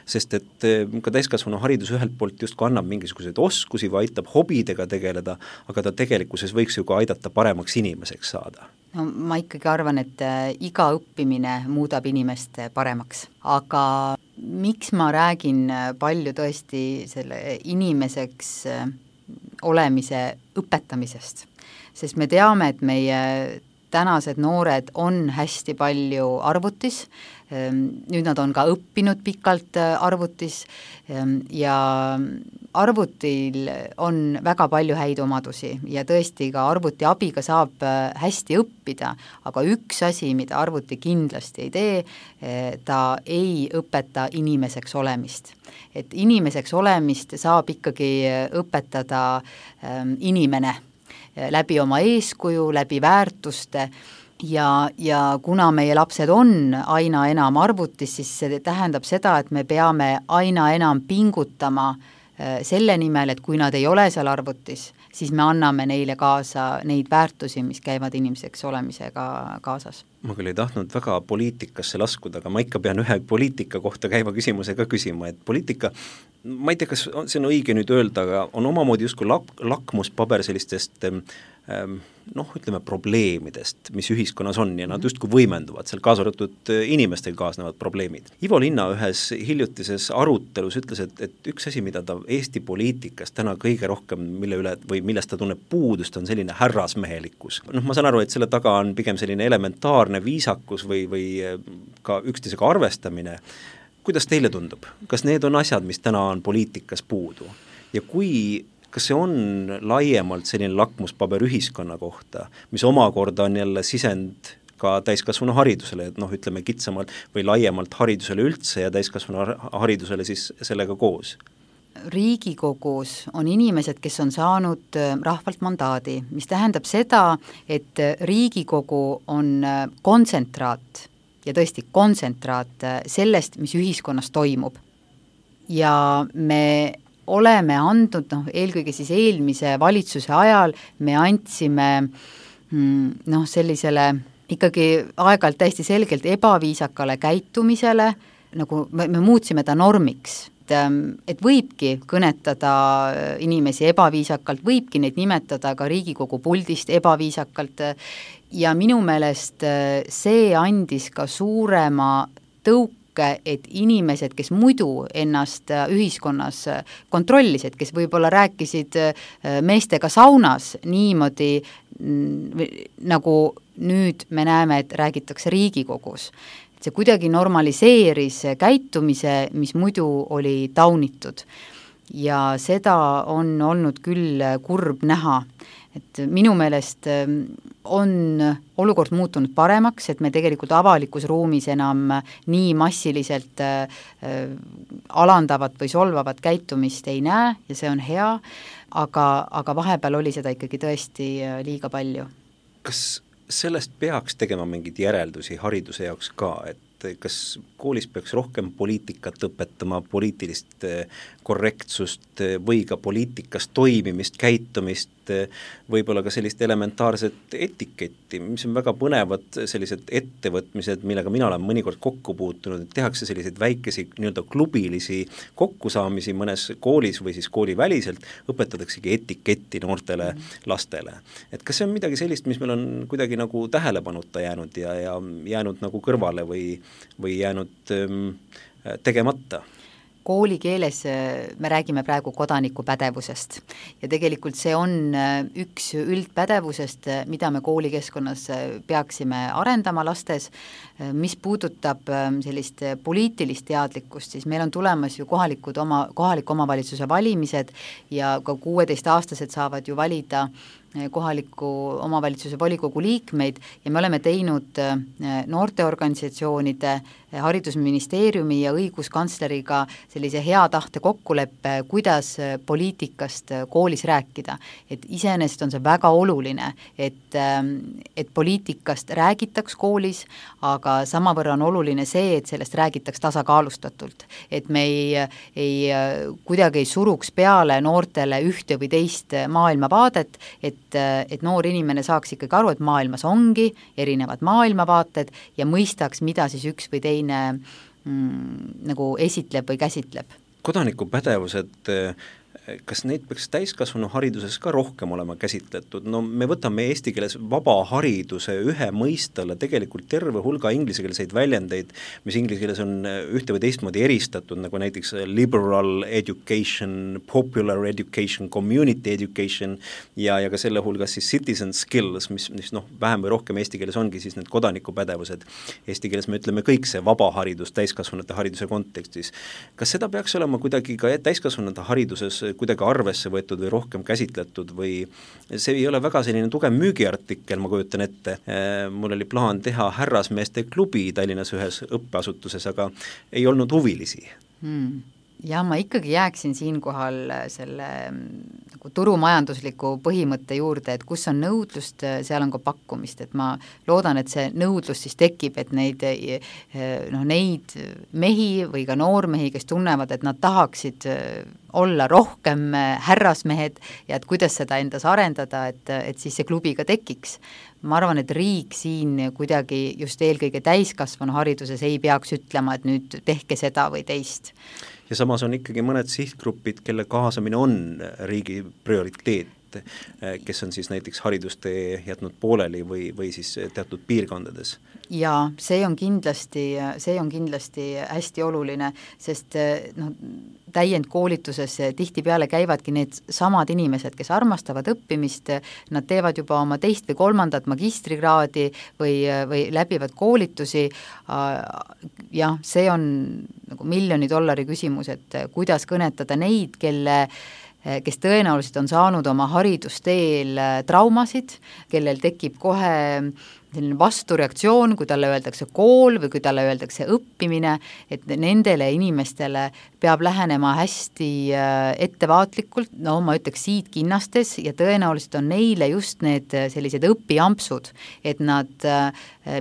Sest et ka täiskasvanu haridus ühelt poolt justkui annab mingisuguseid oskusi või aitab hobidega tegeleda, aga ta tegelikkuses võiks ju ka aidata paremaks inimeseks saada. No ma ikkagi arvan, et iga õppimine muudab inimest paremaks, aga miks ma räägin palju tõesti selle inimeseks olemise õpetamisest, sest me teame, et meie tänased noored on hästi palju arvutis, nüüd nad on ka õppinud pikalt arvutis ja arvutil on väga palju häid omadusi ja tõesti ka arvuti abiga saab hästi õppida, aga üks asi, mida arvuti kindlasti ei tee, ta ei õpeta inimeseks olemist. Et inimeseks olemist saab ikkagi õpetada inimene läbi oma eeskuju, läbi väärtuste ja, ja kuna meie lapsed on aina enam arvutis, siis see tähendab seda, et me peame aina enam pingutama selle nimel, et kui nad ei ole seal arvutis, siis me anname neile kaasa neid väärtusi, mis käivad inimeseks olemisega kaasas. Ma küll ei tahtnud väga poliitikasse laskuda, aga ma ikka pean ühe poliitika kohta käiva küsimuse ka küsima, et poliitika, ma ei tea, kas see on õige nüüd öelda, aga on omamoodi justkui lak- lakmuspaber sellistest ähm, noh, ütleme probleemidest, mis ühiskonnas on ja nad justkui võimenduvad, seal kaasa arvatud inimestel kaasnevad probleemid. Ivo Linna ühes hiljutises arutelus ütles, et, et üks asi, mida ta Eesti poliitikas täna kõige rohkem, mille üle või millest ta tunneb puudust, on selline härrasmehelikkus. Noh, ma saan aru, et selle taga on pigem selline elementaarne viisakus või, või ka üksteisega arvestamine. Kuidas teile tundub? Kas need on asjad, mis täna on poliitikas puudu? Ja kui kas see on laiemalt selline lakmuspaber ühiskonna kohta, mis omakorda on jälle sisend ka täiskasvanu haridusele, et noh, ütleme kitsamalt või laiemalt haridusele üldse ja täiskasvanu haridusele siis sellega koos? Riigikogus on inimesed, kes on saanud rahvalt mandaadi, mis tähendab seda, et Riigikogu on kontsentraat ja tõesti kontsentraat sellest, mis ühiskonnas toimub. Ja me oleme andnud, noh, eelkõige siis eelmise valitsuse ajal me andsime noh, sellisele ikkagi aeg-ajalt täiesti selgelt ebaviisakale käitumisele, nagu me, me muutsime ta normiks, et, et võibki kõnetada inimesi ebaviisakalt, võibki neid nimetada ka Riigikogu puldist ebaviisakalt ja minu meelest see andis ka suurema tõuke, et inimesed, kes muidu ennast ühiskonnas kontrollisid, kes võib-olla rääkisid meestega saunas niimoodi, nagu nüüd me näeme, et räägitakse Riigikogus. Et see kuidagi normaliseeris käitumise, mis muidu oli taunitud. Ja seda on olnud küll kurb näha. Et minu meelest on olukord muutunud paremaks, et me tegelikult avalikus ruumis enam nii massiliselt alandavat või solvavat käitumist ei näe ja see on hea, aga, aga vahepeal oli seda ikkagi tõesti liiga palju. Kas sellest peaks tegema mingeid järeldusi hariduse jaoks ka, et kas koolis peaks rohkem poliitikat õpetama, poliitilist korrektsust või ka poliitikas toimimist, käitumist, võib-olla ka sellist elementaarset etiketti, mis on väga põnevad sellised ettevõtmised, millega mina olen mõnikord kokku puutunud, et tehakse selliseid väikesi nii-öelda klubilisi kokkusaamisi mõnes koolis või siis kooliväliselt, õpetataksegi etiketti noortele lastele. Et kas see on midagi sellist, mis meil on kuidagi nagu tähelepanuta jäänud ja, ja jäänud nagu kõrvale või või jäänud ähm, tegemata? Koolikeeles me räägime praegu kodanikupädevusest ja tegelikult see on üks üldpädevusest, mida me koolikeskkonnas peaksime arendama lastes. Mis puudutab sellist poliitilist teadlikkust, siis meil on tulemas ju kohalikud oma, kohaliku omavalitsuse valimised ja ka kuueteistaastased saavad ju valida kohaliku omavalitsuse volikogu liikmeid ja me oleme teinud noorteorganisatsioonide, haridusministeeriumi ja õiguskantsleriga sellise hea tahte kokkuleppe, kuidas poliitikast koolis rääkida. Et iseenesest on see väga oluline, et, et poliitikast räägitaks koolis, aga samavõrra on oluline see, et sellest räägitaks tasakaalustatult. Et me ei, ei, kuidagi ei suruks peale noortele ühte või teist maailmavaadet, et et noor inimene saaks ikkagi aru, et maailmas ongi erinevad maailmavaated ja mõistaks, mida siis üks või teine mm, nagu esitleb või käsitleb. Kodanikupädevused, kas neid peaks täiskasvanu hariduses ka rohkem olema käsitletud? No me võtame eesti keeles vaba hariduse ühe mõistele tegelikult terve hulga inglisekeelseid väljendeid, mis inglise keeles on ühte või teistmoodi eristatud, nagu näiteks liberal education, popular education, community education ja, ja ka selle hulgas siis citizen skills, mis, mis noh, vähem või rohkem eesti keeles ongi siis need kodanikupädevused. Eesti keeles me ütleme kõik see vaba haridus täiskasvanute hariduse kontekstis. Kas seda peaks olema kuidagi ka täiskasvanute hariduses kuidagi arvesse võetud või rohkem käsitletud või see ei ole väga selline tugev müügiartikkel, ma kujutan ette. Mul oli plaan teha härrasmeeste klubi Tallinnas ühes õppeasutuses, aga ei olnud huvilisi. Hmm. Ja ma ikkagi jääksin siinkohal selle nagu turumajandusliku põhimõtte juurde, et kus on nõudlust, seal on ka pakkumist, et ma loodan, et see nõudlus siis tekib, et neid, noh, neid mehi või ka noormehi, kes tunnevad, et nad tahaksid olla rohkem härrasmehed ja et kuidas seda endas arendada, et, et siis see klubi ka tekiks. Ma arvan, et riik siin kuidagi just eelkõige täiskasvanu hariduses ei peaks ütlema, et nüüd tehke seda või teist. Ja samas on ikkagi mõned sihtgrupid, kelle kaasamine on riigi prioriteet, kes on siis näiteks haridustee jätnud pooleli või, või siis teatud piirkondades. Ja see on kindlasti, see on kindlasti hästi oluline, sest noh, täiendkoolituses tihtipeale käivadki need samad inimesed, kes armastavad õppimist, nad teevad juba oma teist või kolmandat magistrikraadi või, või läbivad koolitusi. Jah, see on nagu miljoni dollari küsimus, et kuidas kõnetada neid, kelle kes tõenäoliselt on saanud oma haridusteel traumasid, kellel tekib kohe selline vastureaktsioon, kui talle öeldakse kool või kui talle öeldakse õppimine, et nendele inimestele peab lähenema hästi ettevaatlikult, no ma ütleks siit kinnastes ja tõenäoliselt on neile just need sellised õpiampsud, et nad,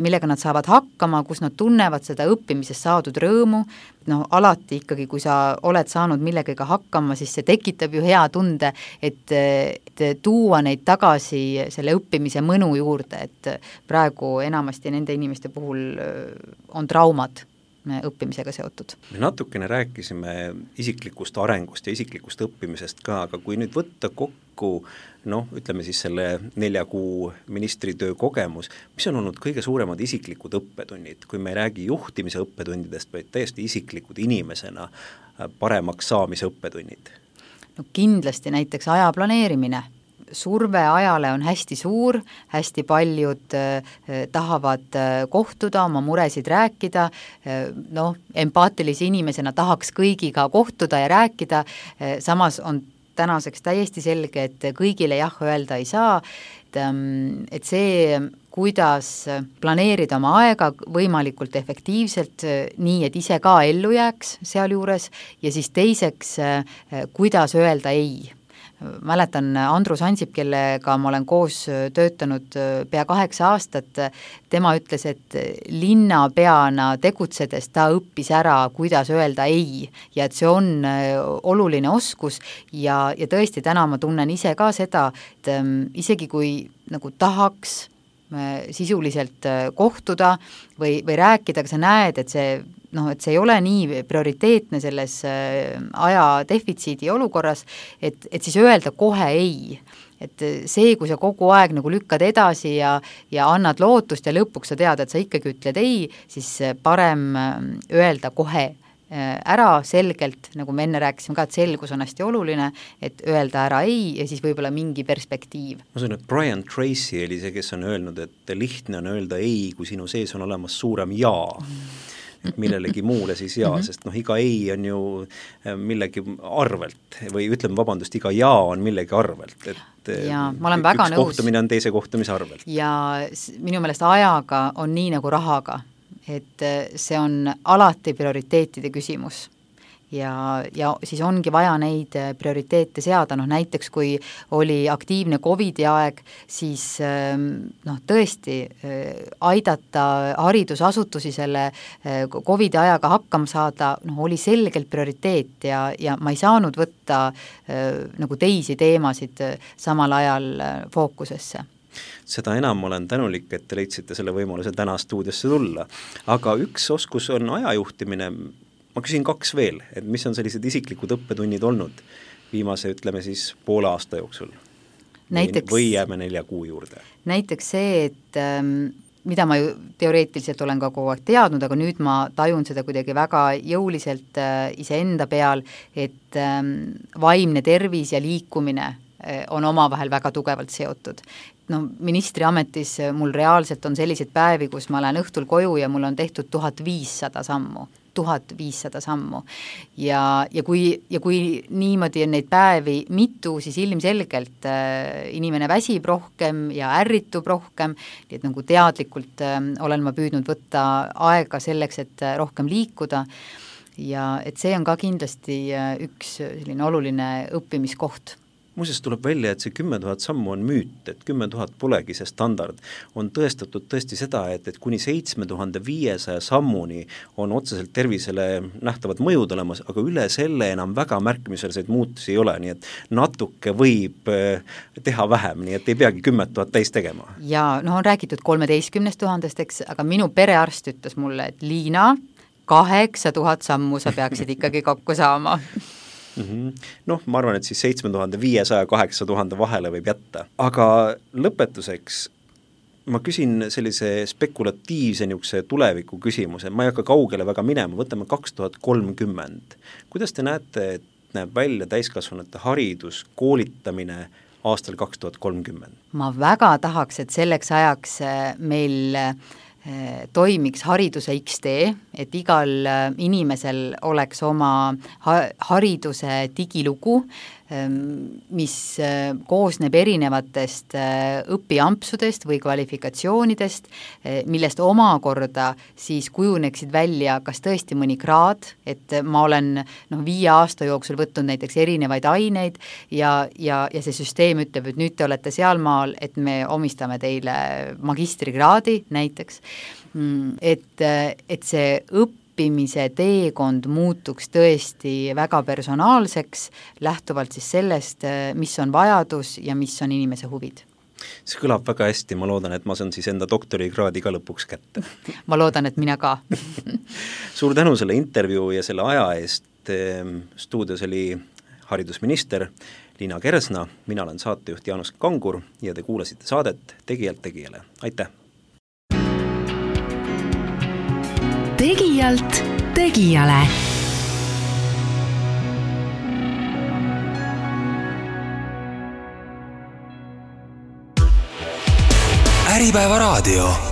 millega nad saavad hakkama, kus nad tunnevad seda õppimisest saadud rõõmu, no alati ikkagi, kui sa oled saanud millegagi hakkama, siis see tekitab ju hea tunde, et, et tuua neid tagasi selle õppimise mõnu juurde, et praegu enamasti nende inimeste puhul on traumad õppimisega seotud. Me natukene rääkisime isiklikust arengust ja isiklikust õppimisest ka, aga kui nüüd võtta kokku, noh, ütleme siis selle nelja kuu ministritöö kogemus, mis on olnud kõige suuremad isiklikud õppetunnid, kui me ei räägi juhtimise õppetundidest, vaid täiesti isiklikud inimesena paremaks saamise õppetunnid? No kindlasti näiteks aja planeerimine. Surve ajale on hästi suur, hästi paljud eh, tahavad kohtuda, oma muresid rääkida, eh, noh, empaatilise inimesena tahaks kõigiga kohtuda ja rääkida, eh, samas on tänaseks täiesti selge, et kõigile jah öelda ei saa, et, et see, kuidas planeerida oma aega võimalikult efektiivselt, nii et ise ka ellu jääks sealjuures ja siis teiseks, kuidas öelda ei. Mäletan Andrus Ansip, kellega ma olen koos töötanud pea kaheksa aastat, tema ütles, et linnapeana tegutsedes ta õppis ära, kuidas öelda ei ja et see on oluline oskus ja, ja tõesti täna ma tunnen ise ka seda, et isegi kui nagu tahaks sisuliselt kohtuda või, või rääkida, aga sa näed, et see noh, et see ei ole nii prioriteetne selles aja defitsiidi olukorras, et, et siis öelda kohe ei. Et see, kui sa kogu aeg nagu lükkad edasi ja, ja annad lootust ja lõpuks sa tead, et sa ikkagi ütled ei, siis parem öelda kohe ära selgelt, nagu me enne rääkisime ka, et selgus on hästi oluline, et öelda ära ei ja siis võib-olla mingi perspektiiv. Ma sain, et Brian Tracy oli see, kes on öelnud, et lihtne on öelda ei, kui sinu sees on olemas suurem jaa. Et millelegi muule siis jaa, mm-hmm. sest noh, iga ei on ju millegi arvelt või ütleme vabandust, iga jaa on millegi arvelt, et ja, ma olen väga üks nõus. Kohtumine on teise kohtumise arvelt. Ja minu meelest ajaga on nii nagu rahaga, et see on alati prioriteetide küsimus. Ja, ja siis ongi vaja neid prioriteete seada, noh näiteks kui oli aktiivne Covidi aeg, siis noh tõesti aidata haridusasutusi selle Covidi ajaga hakkama saada, noh oli selgelt prioriteet ja, ja ma ei saanud võtta nagu teisi teemasid samal ajal fookusesse. Seda enam olen tänulik, et te leidsite selle võimaluse täna stuudiosse tulla, aga üks oskus on ajajuhtimine. Ma küsin kaks veel, et mis on sellised isiklikud õppetunnid olnud viimase, ütleme siis, poole aasta jooksul? Näiteks, või jääme nelja kuu juurde? Näiteks see, et ähm, mida ma ju teoreetiliselt olen ka kogu aeg teadnud, aga nüüd ma tajun seda kuidagi väga jõuliselt äh, iseenda peal, et ähm, vaimne tervis ja liikumine äh, on omavahel väga tugevalt seotud. No, ministri ametis mul reaalselt on selliseid päevi, kus ma lähen õhtul koju ja mul on tehtud tuhat viissada sammu. tuhat viissada sammu ja, ja, kui, ja kui niimoodi on neid päevi mitu, siis ilmselgelt äh, inimene väsib rohkem ja ärritub rohkem, nii et nagu teadlikult äh, olen ma püüdnud võtta aega selleks, et äh, rohkem liikuda ja et see on ka kindlasti äh, üks selline oluline õppimiskoht. Muuseas tuleb välja, et see kümme tuhat sammu on müüt, et kümme tuhat polegi see standard. On tõestatud tõesti seda, et, et kuni seitse tuhat viissada sammuni on otseselt tervisele nähtavad mõjud olemas, aga üle selle enam väga märkimisväärseid muutusi ei ole, nii et natuke võib teha vähem, nii et ei peagi kümme tuhat täis tegema. Ja no on räägitud kolmeteistkümnest tuhandest, eks, aga minu perearst ütles mulle, et Liina, kaheksa tuhat sammu sa peaksid ikkagi kokku saama. Mm-hmm. Noh, ma arvan, et siis seitse tuhat viissada kaheksa tuhat vahele võib jätta. Aga lõpetuseks ma küsin sellise spekulatiivse niisuguse tuleviku küsimuse, ma ei hakka kaugele väga minema, võtame kaks tuhat kolmkümmend. Kuidas te näete, et näeb välja täiskasvanute haridus, koolitamine aastal kaks tuhat kolmkümmend? Ma väga tahaks, et selleks ajaks meil toimiks hariduse X tee, et igal inimesel oleks oma hariduse digilugu, mis koosneb erinevatest õpiampsudest või kvalifikatsioonidest, millest omakorda siis kujuneksid välja kas tõesti mõni kraad, et ma olen noh, viie aasta jooksul võtnud näiteks erinevaid aineid ja, ja, ja see süsteem ütleb, et nüüd te olete sealmaal, et me omistame teile magistrikraadi näiteks, et, et see õpp õppimise teekond muutuks tõesti väga personaalseks, lähtuvalt siis sellest, mis on vajadus ja mis on inimese huvid. See kõlab väga hästi, ma loodan, et ma saan siis enda doktorikraadi ka lõpuks kätte. Ma loodan, et mina ka. Suur tänu selle intervjuu ja selle aja eest. Stuudios oli haridusminister Liina Kersna, mina olen saatejuht Jaanus Kangur ja te kuulasite saadet Tegijalt tegijale. Aitäh! Tegijalt tegijale. Äripäeva raadio.